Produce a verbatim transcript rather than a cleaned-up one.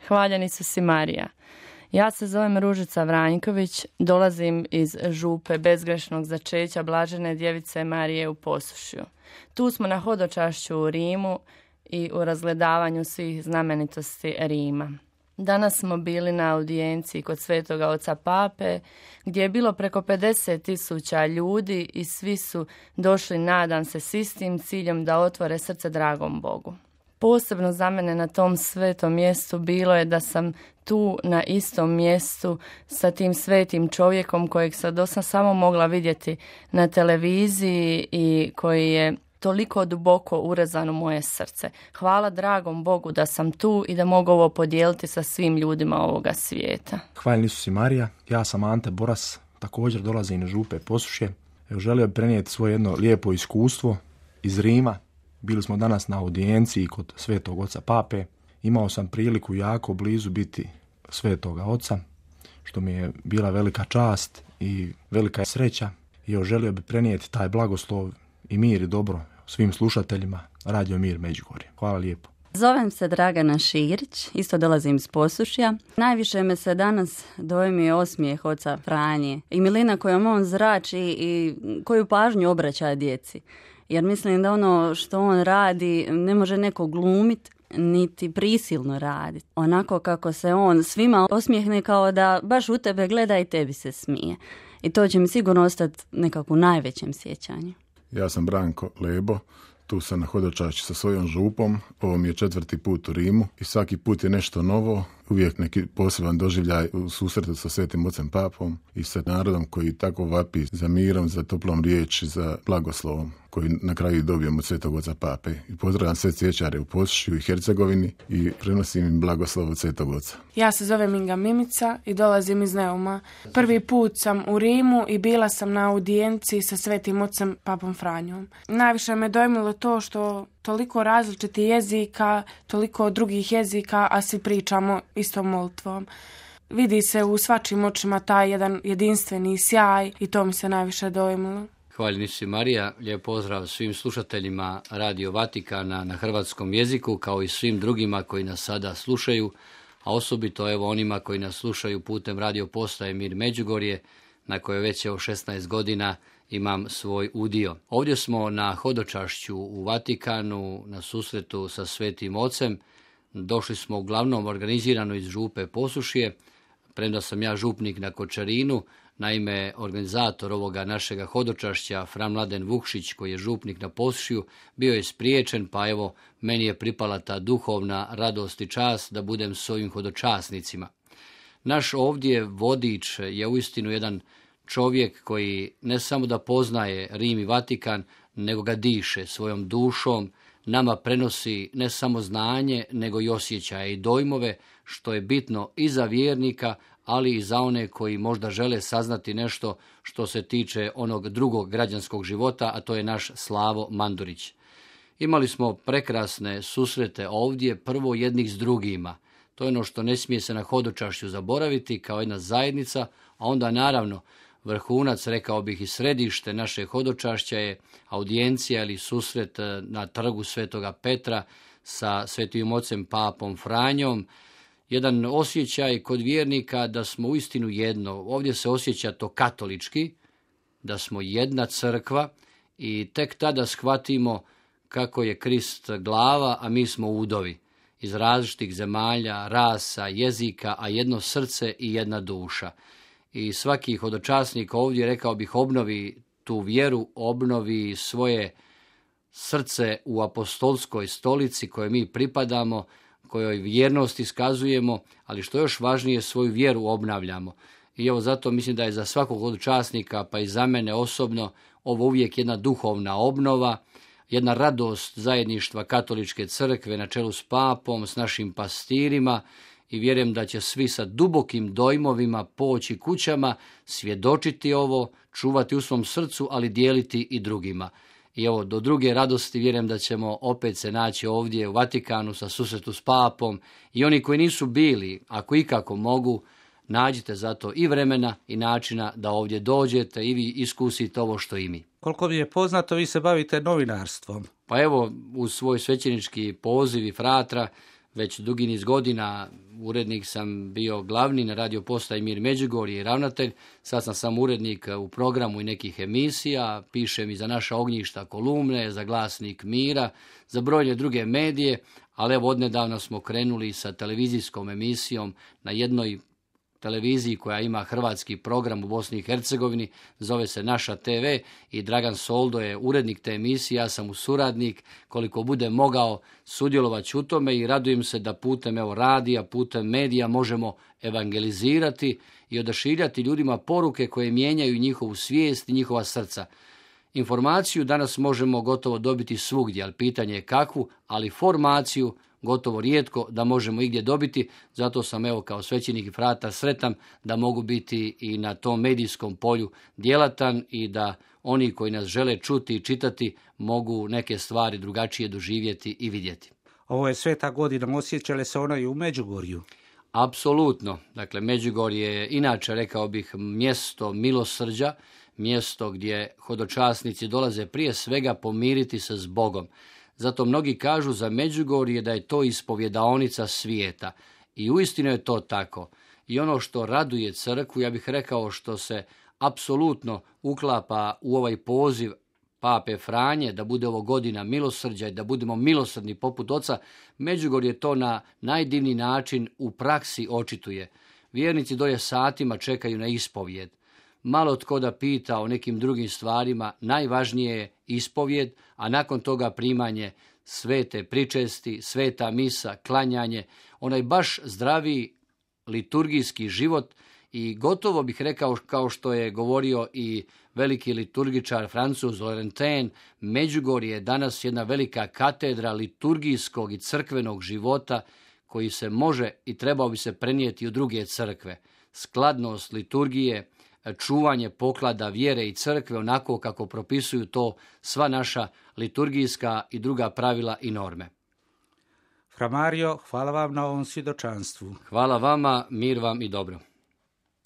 Hvaljeni su si Marija. Ja se zovem Ružica Vranjković, dolazim iz župe bezgrešnog začeća Blažene djevice Marije u Posušju. Tu smo na hodočašću u Rimu i u razgledavanju svih znamenitosti Rima. Danas smo bili na audijenciji kod Svetoga oca Pape, gdje je bilo preko pedeset tisuća ljudi i svi su došli, nadam se, s istim ciljem da otvore srce dragom Bogu. Posebno za mene na tom svetom mjestu bilo je da sam tu na istom mjestu sa tim svetim čovjekom kojeg sam dosad samo mogla vidjeti na televiziji i koji je toliko duboko urezan u moje srce. Hvala dragom Bogu da sam tu i da mogu ovo podijeliti sa svim ljudima ovoga svijeta. Hvaljeni su si Marija, ja sam Ante Boras, također dolazim iz župe Posušje. Evo, želio bih prenijeti svoje jedno lijepo iskustvo iz Rima. Bili smo danas na audijenciji kod Svetog oca Pape. Imao sam priliku jako blizu biti Svetoga oca, što mi je bila velika čast i velika sreća. I evo, želio bih prenijeti taj blagoslov i mir i dobro svim slušateljima Radio Mir Međugorje. Hvala lijepo. Zovem se Dragana Širić, isto dolazim iz Posušja. Najviše me se danas dojmio osmijeh oca Franje i milina kojom on zrači i koju pažnju obraća djeci. Jer mislim da ono što on radi ne može neko glumiti, niti prisilno raditi. Onako kako se on svima osmijehne, kao da baš u tebe gleda i tebi se smije. I to će mi sigurno ostati nekako u najvećem sjećanju. Ja sam Branko Lebo, tu sam na hodočašću sa svojom župom, ovo mi je četvrti put u Rimu i svaki put je nešto novo, uvijek neki poseban doživljaj u susretu sa Svetim ocem Papom i sa narodom koji tako vapi za mirom, za toplom riječi, za blagoslovom koji na kraju dobijemo od Svetog oca Pape. I pozdravljam sve cvjećare u Posušju i Hercegovini i prenosim im blagoslov od Svetog oca. Ja se zovem Inga Mimica i dolazim iz Neuma. Prvi put sam u Rimu i bila sam na audijenciji sa Svetim ocem Papom Franjom. Najviše me dojmilo to što toliko različitih jezika, toliko drugih jezika, a svi pričamo istom molitvom. Vidi se u svačim očima taj jedan jedinstveni sjaj i to mi se najviše dojmilo. Hvaljeni su si Marija, lijep pozdrav svim slušateljima Radio Vatikana na hrvatskom jeziku, kao i svim drugima koji nas sada slušaju, a osobito evo onima koji nas slušaju putem radio postaje Mir Međugorje, na kojoj već evo šesnaest godina imam svoj udio. Ovdje smo na hodočašću u Vatikanu, na susretu sa Svetim ocem. Došli smo uglavnom organizirano iz župe Posušje, premda sam ja župnik na Kočarinu. Naime, organizator ovoga našega hodočašća, Fra Mladen Vukšić, koji je župnik na Posušju, bio je spriječen, pa evo, meni je pripala ta duhovna radost i čast da budem s ovim hodočasnicima. Naš ovdje vodič je uistinu jedan čovjek koji ne samo da poznaje Rim i Vatikan, nego ga diše svojom dušom, nama prenosi ne samo znanje, nego i osjećaje i dojmove, što je bitno i za vjernika, ali i za one koji možda žele saznati nešto što se tiče onog drugog građanskog života, a to je naš Slavo Mandurić. Imali smo prekrasne susrete ovdje, prvo jednih s drugima. To je ono što ne smije se na hodočašću zaboraviti kao jedna zajednica, a onda naravno vrhunac, rekao bih i središte naše hodočašća je audijencija ili susret na trgu Svetoga Petra sa Svetim ocem Papom Franjom. Jedan osjećaj kod vjernika da smo uistinu jedno. Ovdje se osjeća to katolički, da smo jedna crkva i tek tada shvatimo kako je Krist glava, a mi smo udovi iz različitih zemalja, rasa, jezika, a jedno srce i jedna duša. I svaki hodočasnik ovdje, rekao bih, obnovi tu vjeru, obnovi svoje srce u apostolskoj stolici kojoj mi pripadamo, kojoj vjernost iskazujemo, ali što još važnije, svoju vjeru obnavljamo. I evo zato mislim da je za svakog hodočasnika, pa i za mene osobno, ovo uvijek jedna duhovna obnova, jedna radost zajedništva katoličke crkve na čelu s papom, s našim pastirima, i vjerujem da će svi sa dubokim dojmovima poći kućama, svjedočiti ovo, čuvati u svom srcu, ali dijeliti i drugima. I evo, do druge radosti vjerujem da ćemo opet se naći ovdje u Vatikanu sa susretu s papom, i oni koji nisu bili, ako ikako mogu, nađite zato i vremena i načina da ovdje dođete i vi iskusite ovo što i mi. Koliko mi je poznato, vi se bavite novinarstvom. Pa evo, uz svoj svećenički poziv i fratra, već dugi niz godina. Urednik sam bio glavni na radio postaji Mir Međugorje i ravnatelj. Sad sam sam urednik u programu i nekih emisija. Pišem i za naša ognjišta kolumne, za Glasnik Mira, za brojne druge medije. Ali evo odnedavno smo krenuli sa televizijskom emisijom na jednoj televiziji koja ima hrvatski program u Bosni i Hercegovini, zove se Naša te ve i Dragan Soldo je urednik te emisije, ja sam mu suradnik, koliko bude mogao sudjelovati u tome i radujem se da putem evo radija, putem medija možemo evangelizirati i odašiljati ljudima poruke koje mijenjaju njihovu svijest i njihova srca. Informaciju danas možemo gotovo dobiti svugdje, ali pitanje je kakvu, ali formaciju gotovo rijetko da možemo igdje dobiti, zato sam evo kao svećenik i fratar sretan da mogu biti i na tom medijskom polju djelatan i da oni koji nas žele čuti i čitati mogu neke stvari drugačije doživjeti i vidjeti. Ovo je sveta godina, osjećale se ono i u Međugorju? Apsolutno. Dakle, Međugorje je inače, rekao bih, mjesto milosrđa, mjesto gdje hodočasnici dolaze prije svega pomiriti se s Bogom. Zato mnogi kažu za Međugorje da je to ispovjedaonica svijeta. I uistinu je to tako. I ono što raduje crkvu, ja bih rekao što se apsolutno uklapa u ovaj poziv Pape Franje, da bude ovo godina milosrđa i da budemo milosrdni poput oca, Međugorje to na najdivniji način u praksi očituje. Vjernici dolje satima čekaju na ispovjed. Malo tko da pita o nekim drugim stvarima, najvažnije je ispovjed, a nakon toga primanje svete pričesti, sveta misa, klanjanje, onaj baš zdravi liturgijski život i gotovo bih rekao kao što je govorio i veliki liturgičar Francuz Laurentin, Međugorje je danas jedna velika katedra liturgijskog i crkvenog života koji se može i trebao bi se prenijeti u druge crkve. Skladnost liturgije, čuvanje poklada vjere i crkve onako kako propisuju to sva naša liturgijska i druga pravila i norme. Fra Mario, hvala vam na ovom svjedočanstvu. Hvala vama, mir vam i dobro.